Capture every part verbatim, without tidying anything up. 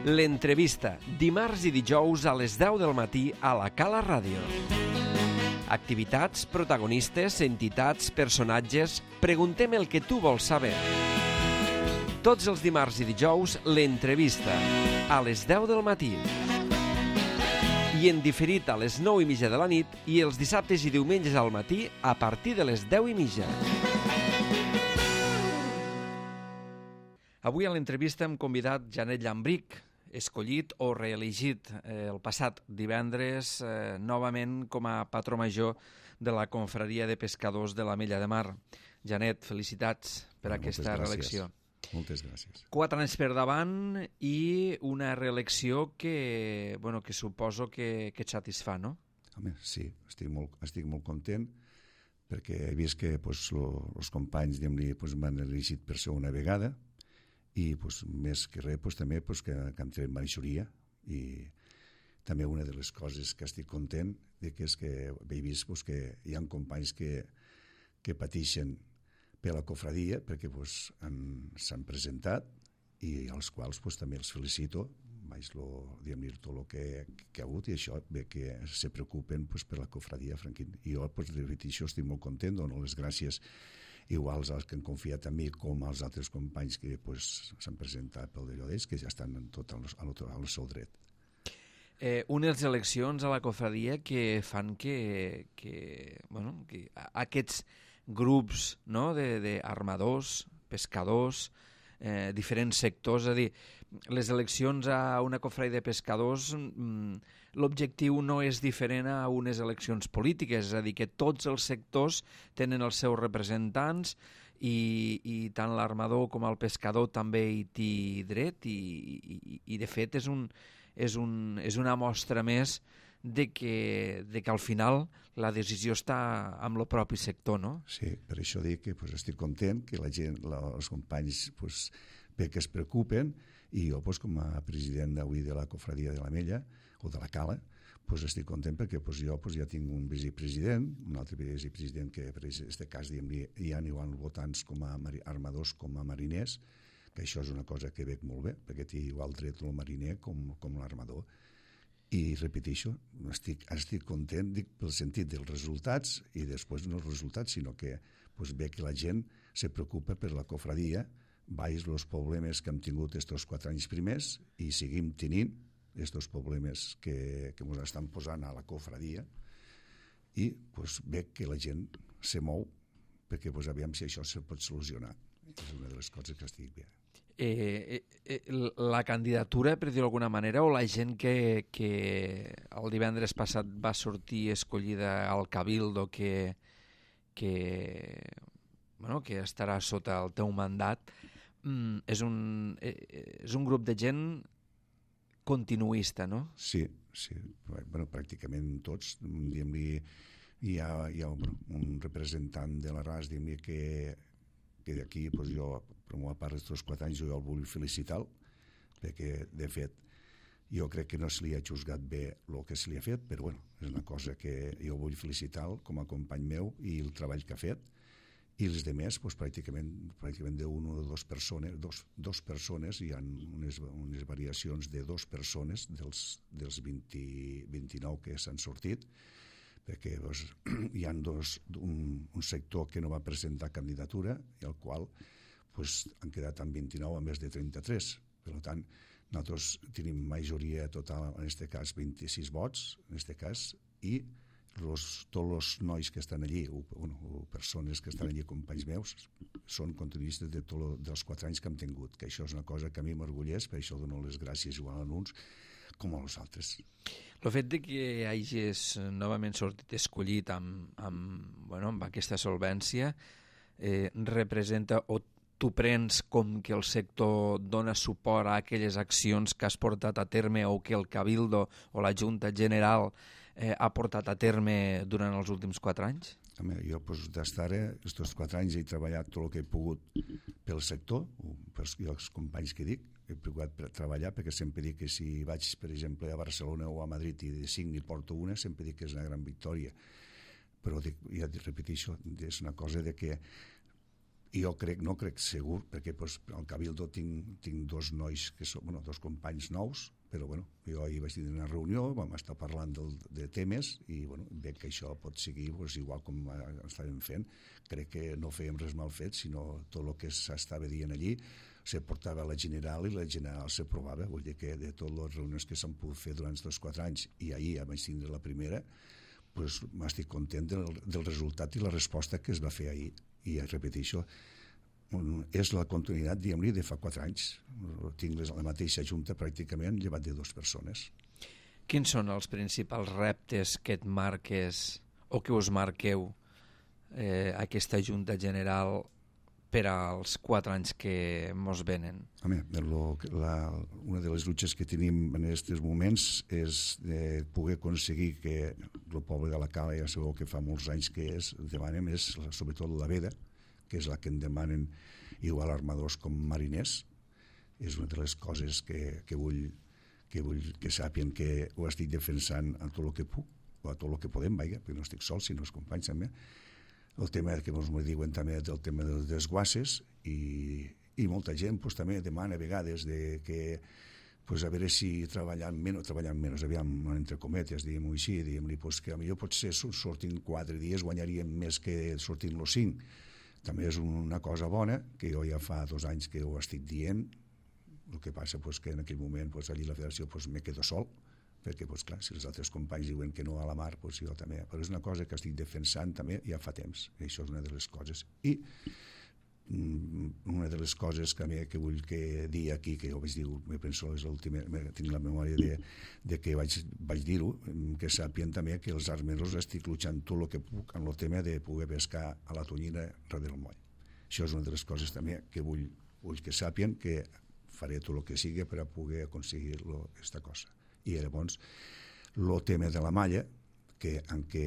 L'entrevista, dimarts i dijous a les deu del matí a la Cala Ràdio. Activitats, protagonistes, entitats, personatges... Preguntem el que tu vols saber. Tots els dimarts i dijous, l'entrevista, a les deu del matí. I en diferit a les nou i mitja de la nit i els dissabtes i diumenges al matí a partir de les deu i mitja. Avui a l'entrevista hem convidat Janet Llambrich, escollit o reelegit eh, el passat divendres eh, novament com a patró major de la Confraria de Pescadors de l'Ametlla de Mar. Janet, felicitats per Moltes aquesta gràcies. reelecció. Moltes gràcies. Quatre anys per davant i una reelecció que, bueno, que suposo que, que et satisfà, no? Home, sí, estic molt, estic molt content perquè he vist que pues, lo, els companys pues, m'han elegit per segona vegada i pues, més que res pues, també pues, que, que hem tret majoria i també una de les coses que estic content de que és que he vist pues, que hi ha companys que, que pateixen per la cofradia perquè pues, s'han presentat i als quals pues, també els felicito vaig lo, dir tot el que, que ha hagut i això ve que se preocupen pues, per la cofradia franquín. I jo pues, de veritat això estic molt content, dono les gràcies iguals als que han confiat en mi com als altres companys que pues, s'han presentat pel d'allò d'ells, que ja estan en tot al, al, al seu dret. Eh, unes eleccions a la cofradia que fan que, que, bueno, que aquests grups, no, d'armadors, pescadors, eh, diferents sectors, és a dir, les eleccions a una cofradia de pescadors, mm, l'objectiu no és diferent a unes eleccions polítiques, és a dir, que tots els sectors tenen els seus representants i, i tant l'armador com el pescador també hi té dret i, i, i de fet és, un, és, un, és una mostra més de que, de que al final la decisió està amb el propi sector, no? Sí, per això dic que pues, estic content que la gent, la, els companys pues, bé que es preocupen i jo pues, com a president d'avui de la cofradia de l'Ametlla o de la Cala pues, estic content perquè pues, jo pues, ja tinc un vicepresident, un altre vicepresident que per aquest cas diguem, hi ha igual votants com a armadors com a mariners, que això és una cosa que veig molt bé perquè té igual dret el mariner com, com l'armador. I repeteixo, estic, estic content dic, pel sentit dels resultats i després no els resultats, sinó que pues, ve que la gent se preocupa per la cofradia, veus els problemes que hem tingut aquests quatre anys primers i seguim tenint aquests problemes que, que ens estan posant a la cofradia i pues, ve que la gent se mou perquè pues, aviam si això se pot solucionar. És una de les coses que estic bé. Eh, eh, la candidatura, per dir-ho d'alguna manera, o la gent que, que el divendres passat va sortir escollida al Cabildo que, que, bueno, que estarà sota el teu mandat, mm, és, un, eh, és un grup de gent continuista, no? Sí, sí. Bueno, pràcticament tots. Diguem-li, hi ha, hi ha bueno, un representant de la R A S diguem-li, que que d'aquí pues, jo, per una part d'aquests quatre anys, jo el vull felicitar perquè, de fet, jo crec que no se li ha juzgat bé el que se li ha fet, però bueno, és una cosa que jo vull felicitar com a company meu i el treball que ha fet. I els altres, pues, pràcticament, pràcticament d'una o dues persones, dos, dos persones, hi ha unes, unes variacions de dues persones dels, dels vint, vint-i-nou que s'han sortit, perquè doncs, hi ha dos, un, un sector que no va presentar candidatura i el qual doncs, han quedat amb vint-i-nou a més de trenta-tres. Per tant, nosaltres tenim majoria total, en aquest cas vint-i-sis vots, en aquest cas, i los, tots els nois que estan allí, o, o persones que estan allí, companys meus, són continuistes de tot, dels quatre anys que hem tingut, que això és una cosa que a mi m'orgulleix, per això dono les gràcies igual a uns com a nosaltres. El fet de que hagis novament sortit escollit amb, amb, bueno, amb aquesta solvència eh, representa o tu prens com que el sector dona suport a aquelles accions que has portat a terme o que el Cabildo o la Junta General eh, ha portat a terme durant els últims quatre anys? Home, jo pues, d'estar aquests quatre anys he treballat tot el que he pogut pel sector, pels els companys que dic, he procurat treballar perquè sempre dic que si vaig, per exemple, a Barcelona o a Madrid i de cinc n'hi porto una, sempre dic que és una gran victòria. Però dic, ja et repeteixo, és una cosa de que I jo crec, no crec segur, perquè pues, al Cabildo tinc, tinc dos nois, que són, bueno, dos companys nous, però bueno, jo ahir vaig tenir una reunió, vam estar parlant del, de temes i bueno, veig que això pot seguir pues, igual com estàvem fent. Crec que no fèiem res mal fet, sinó tot el que s'estava dient allí se portava a la general i la general s'aprovava. Vull dir que de totes les reunions que s'han pogut fer durant aquests quatre anys i ahir ja vaig tindre la primera, pues, m'estic content del, del resultat i la resposta que es va fer ahir. I repeteixo, és la continuïtat, diguem-li, de fa quatre anys. Tinc la mateixa junta pràcticament, llevat de dues persones. Quins són els principals reptes que et marques o que us marqueu eh, aquesta junta general per als quatre anys que mos venen? Home, lo, la, una de les luches que tenim en aquests moments és de poder aconseguir que el poble de la Cala, ja sabeu que fa molts anys que és, demanem, és sobretot la veda, que és la que en demanen igual armadors com mariners. És una de les coses que, que, vull, que vull que sàpien que ho estic defensant a tot el que puc, o a tot el que podem, vaja, perquè no estic sol, sinó els companys també. El tema que ens diuen també del tema dels desguasses i, i molta gent pues, també demana a vegades de que pues, a veure si treballant menys, treballant menys, aviam, entre cometes, diguem-ho així, diguem-li pues, que potser potser sortint quatre dies guanyaríem més que sortint los cinc. També és una cosa bona, que jo ja fa dos anys que ho estic dient. El que passa pues, que en aquell moment pues, allí la federació pues, me quedo sol, perquè pues, clar, si els altres companys diuen que no a la mar, pues, jo també. Però és una cosa que estic defensant també ja fa temps, i això és una de les coses. I una de les coses que, que vull que dir aquí, que jo vaig dir, me penso, és l'última, tinc la memòria de, de que vaig, vaig dir-ho, que sàpien també que els armeros estic luchant tot el que puc en el tema de poder pescar a la tonyina darrere del moll. Això és una de les coses també que vull, vull que sàpien que faré tot el que sigui per a poder aconseguir aquesta cosa. I llavors, el tema de la malla, que en què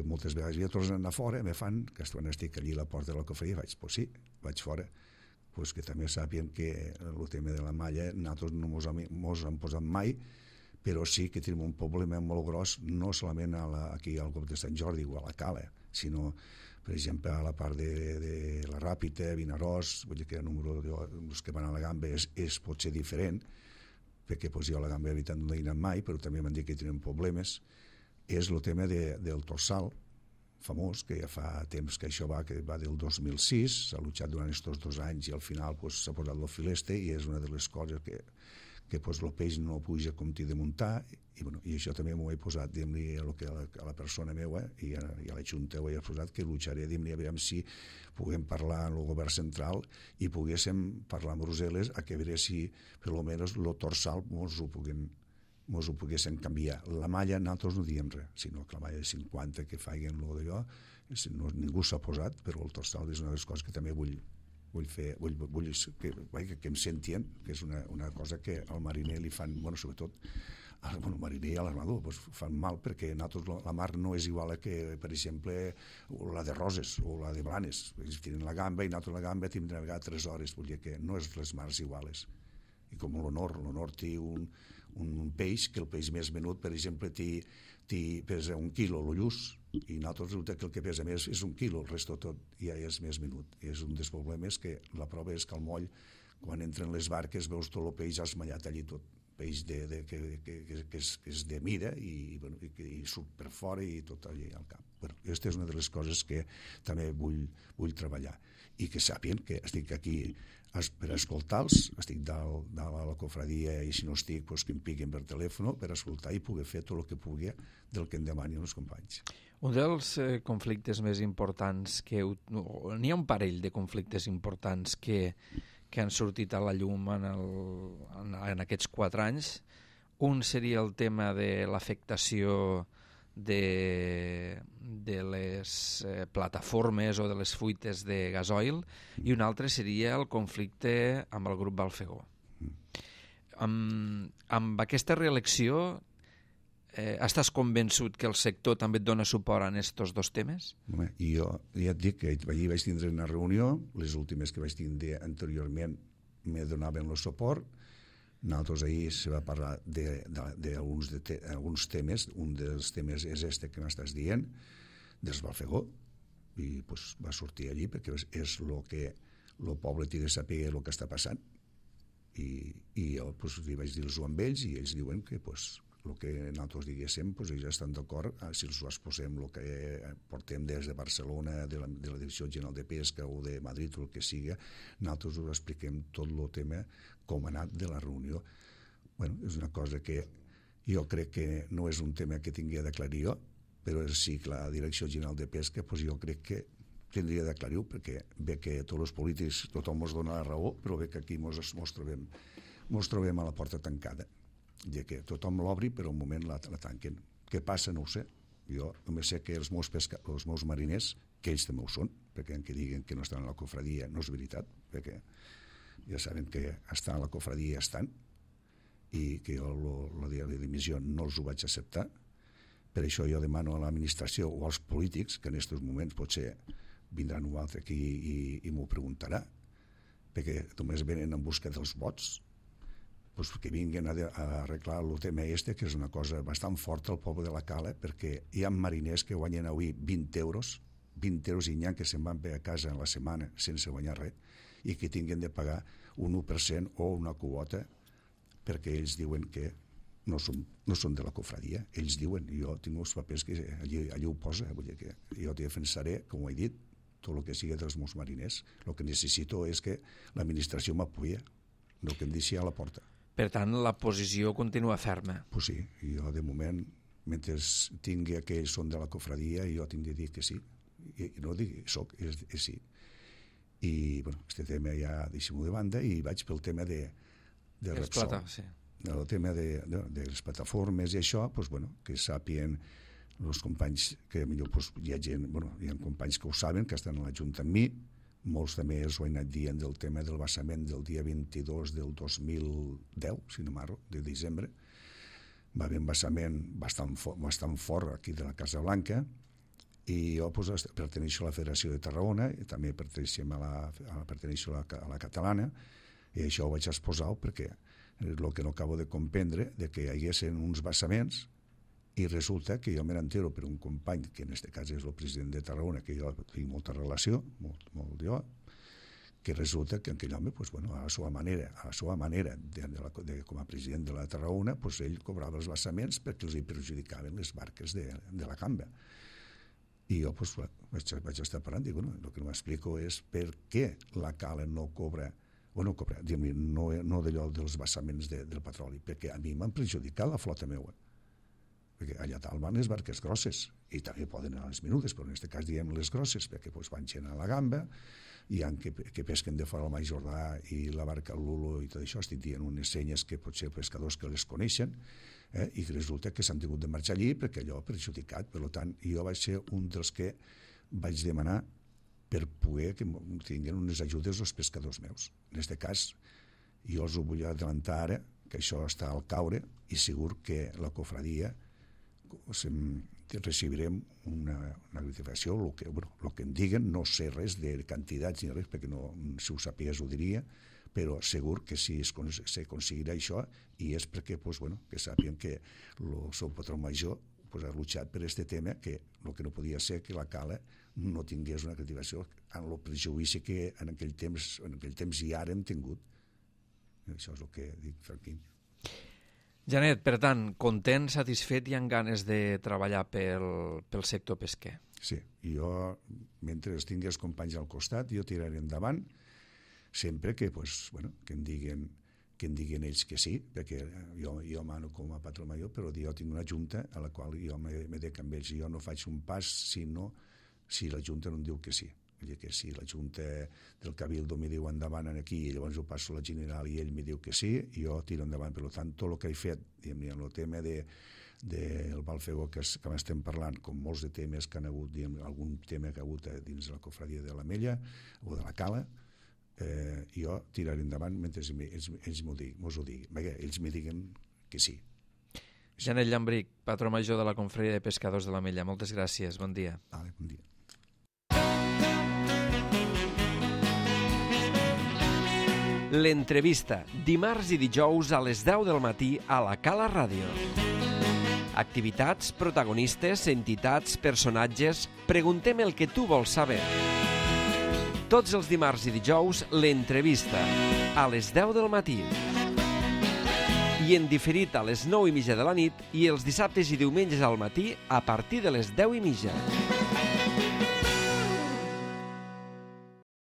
moltes vegades ja tornen a fora, me fan, que quan estic allí a la porta de la cofreria, vaig, pues sí, vaig fora, pues que també sàpien que el tema de la malla nosaltres no mos, mos han posat mai, però sí que tenim un problema molt gros, no solament a la, aquí al Golf de Sant Jordi o a la Cala, sinó, per exemple, a la part de, de la Ràpita, Vinaròs, vull dir que el número dels que van a la Gamba és, és potser diferent, perquè pues, jo a la Gamba de veritat no he anat mai, però també m'han dit que tenen problemes. És el tema de, del torsal famós, que ja fa temps que això va, que va del dos mil sis, s'ha luchat durant aquests dos anys i al final pues, s'ha posat el fileste i és una de les coses que, que pues, el peix no puja com t'hi de muntar i, bueno, i això també m'ho he posat diguem-li a, a, la, a la persona meva i a, i a la Junta ho he posat que lucharé diguem-li a veure si puguem parlar amb el govern central i poguéssim parlar amb Brussel·les a que veure si per almenys el torsal mos ho puguem mos ho poguessin canviar. La malla nosaltres no diem res, sinó que la malla de cinquanta que facin lo d'allò, no, ningú s'ha posat, però el torsal és una de les coses que també vull, vull fer, vull, vull que, que, que em sentien, que és una, una cosa que al mariner li fan, bueno, sobretot al bueno, mariner i a l'armador, pues, fan mal perquè nosaltres la mar no és igual a que, per exemple, la de Roses o la de Blanes. Ells tenen la gamba i nosaltres la gamba tindrem a vegades tres hores, vull dir que no és les mars iguales. I com l'honor, l'honor té un un peix, que el peix més menut, per exemple, té, té, pesa un quilo, l'ullús, i nosaltres resulta que el que pesa més és un quilo, el resto tot ja és més menut. I és un dels problemes que la prova és que al moll, quan entren les barques, veus tot el peix esmallat allí tot, peix de, de, que, que, que, que, és, que és de mida i, bueno, i, i surt per fora i tot allí al cap. Bueno, aquesta és una de les coses que també vull, vull treballar i que sàpien que estic aquí per escoltar-los, estic dalt, dalt a la cofradia i si no estic, doncs que em piquen per telèfon per escoltar i poder fer tot el que pugui del que em demanin els companys. Un dels eh, conflictes més importants que... No, n'hi ha un parell de conflictes importants que, que han sortit a la llum en, el, en, en aquests quatre anys. Un seria el tema de l'afectació de, de les eh, plataformes o de les fuites de gasoil i un altre seria el conflicte amb el grup Balfegó. Mm. Amb, amb aquesta reelecció eh, estàs convençut que el sector també et dona suport en aquests dos temes? Home, i jo ja et dic que allí vaig tindre una reunió, les últimes que vaig tindre anteriorment me donaven el suport. Nosaltres ahir se va parlar d'alguns de, de, de, alguns temes, un dels temes és este que m'estàs dient, dels Balfegó, i pues, va sortir allí perquè és el que el poble té de saber el que està passant, i, i jo pues, li vaig dir-ho amb ells, i ells diuen que pues, el que nosaltres diguéssim, pues, ells estan d'acord, si els exposem el que portem des de Barcelona, de la, de la Direcció General de Pesca o de Madrid o el que siga, nosaltres us expliquem tot el tema com ha anat de la reunió. Bueno, és una cosa que jo crec que no és un tema que tingui d'aclarir jo, però sí que la Direcció General de Pesca, pues, jo crec que tindria d'aclarir-ho, perquè ve que tots els polítics tothom ens dona la raó, però ve que aquí ens trobem, mos trobem a la porta tancada, de que tothom l'obri però un moment la, la tanquen. Què passa? No ho sé. Jo només sé que els meus, pesca, els meus mariners, que ells també ho són, perquè en que diguen que no estan a la cofradia no és veritat, perquè ja saben que estan a la cofradia i estan, i que jo lo, la dimissió no els ho vaig acceptar. Per això jo demano a l'administració o als polítics, que en aquests moments potser vindran un altre aquí i, i m'ho preguntarà, perquè només venen en busca dels vots, pues que vinguin a, a arreglar el tema este, que és una cosa bastant forta al poble de la Cala, perquè hi ha mariners que guanyen avui vint euros, vint euros i n'hi ha que se'n van bé a casa en la setmana sense guanyar res, i que tinguin de pagar un u per cent o una quota, perquè ells diuen que no són, no són de la cofradia. Ells diuen, jo tinc els papers que allí, allí ho posa, vull dir que jo te defensaré, com ho he dit, tot el que sigui dels meus mariners. El que necessito és que l'administració m'apoya, no que em deixi a la porta. Per tant, la posició continua ferma. Pues sí, jo de moment, mentre tingui aquells són de la cofradia, jo tinc de dir que sí. I no dic soc, és, és sí. I, bueno, este tema ja deixem-ho de banda i vaig pel tema de, de Repsol. Sí. El tema de, de, de les plataformes i això, pues, bueno, que sàpien els companys, que millor pues, hi ha gent, bueno, hi ha companys que ho saben, que estan a la Junta amb mi, molts també els ho he anat dient del tema del vessament del dia vint-i-dos del dos mil deu, si no m'arro, de desembre. Va haver un vessament bastant, for, bastant fort aquí de la Casa Blanca, i jo pues, perteneixo a la Federació de Tarragona, i també perteneixo a la, a, perteneixo a la, a la catalana, i això ho vaig exposar perquè és el que no acabo de comprendre, de que hi haguessin uns vessaments, i resulta que jo me n'entero per un company, que en aquest cas és el president de Tarragona, que jo tinc molta relació, molt, molt jo, que resulta que aquell home, pues, bueno, a la seva manera, a la seva manera de, de la, de, com a president de la Tarragona, pues, ell cobrava els vessaments perquè els hi perjudicaven les barques de, de la camba. I jo pues, vaig, vaig estar parlant, dic, bueno, el que no m'explico és per què la Cala no cobra, o no cobra, diguem, no, no d'allò dels vessaments de, del petroli, perquè a mi m'han perjudicat la flota meua. Perquè allà dalt van les barques grosses, i també poden anar les menudes, però en aquest cas diem les grosses, perquè pues, van gent a la gamba, hi ha que, que pesquen de fora el Mai Jordà i la barca Lulo i tot això, estic dient unes senyes que potser pescadors que les coneixen, eh, i resulta que s'han tingut de marxar allí perquè allò perjudicat. Per tant, jo vaig ser un dels que vaig demanar per poder que tinguin unes ajudes als pescadors meus. En aquest cas, jo els ho vull adelantar ara, que això està al caure, i segur que la cofradia recibirem una, una gratificació, el que, bueno, el que em diguen, no sé res de quantitats ni res, perquè no, si ho sapigués ho diria, però segur que sí s'aconseguirà això, i és perquè pues, bueno, que sàpien que el seu patró major pues, ha luchat per aquest tema, que el que no podia ser que la Cala no tingués una gratificació en el prejudici que en aquell temps, en aquell temps i ara hem tingut. Això és el que dic, Franquín. Janet, per tant, content, satisfet i amb ganes de treballar pel, pel sector pesquer. Sí, i jo, mentre tingui els companys al costat, jo tiraré endavant, sempre que, pues, bueno, que em diguin que em diguin ells que sí, perquè jo, jo mano com a patró major, però jo tinc una junta a la qual jo me dec amb ells, i jo no faig un pas si, no, si la junta no em diu que sí. Vull dir que si la Junta del Cabildo me diu endavant aquí i llavors ho passo a la General i ell me diu que sí, jo tiro endavant. Per tant, tot el que he fet, diguem, en el tema de, del Balfegó que, que estem parlant, com molts de temes que han hagut, diguem, algun tema que ha hagut dins de la cofradia de la Mella o de la Cala, eh, jo tiraré endavant mentre ells, ells m'ho diguin, ho diguin. Perquè ells me diguen que sí. Janet Llambric, patró major de la Confraria de Pescadors de la Mella, moltes gràcies, bon dia. Vale, bon dia. L'entrevista, dimarts i dijous a les deu del matí a la Cala Ràdio. Activitats, protagonistes, entitats, personatges... Preguntem el que tu vols saber. tots els dimarts i dijous, l'entrevista, a les deu del matí. I en diferit a les nou i mitja de la nit i els dissabtes i diumenges al matí a partir de les deu i mitja.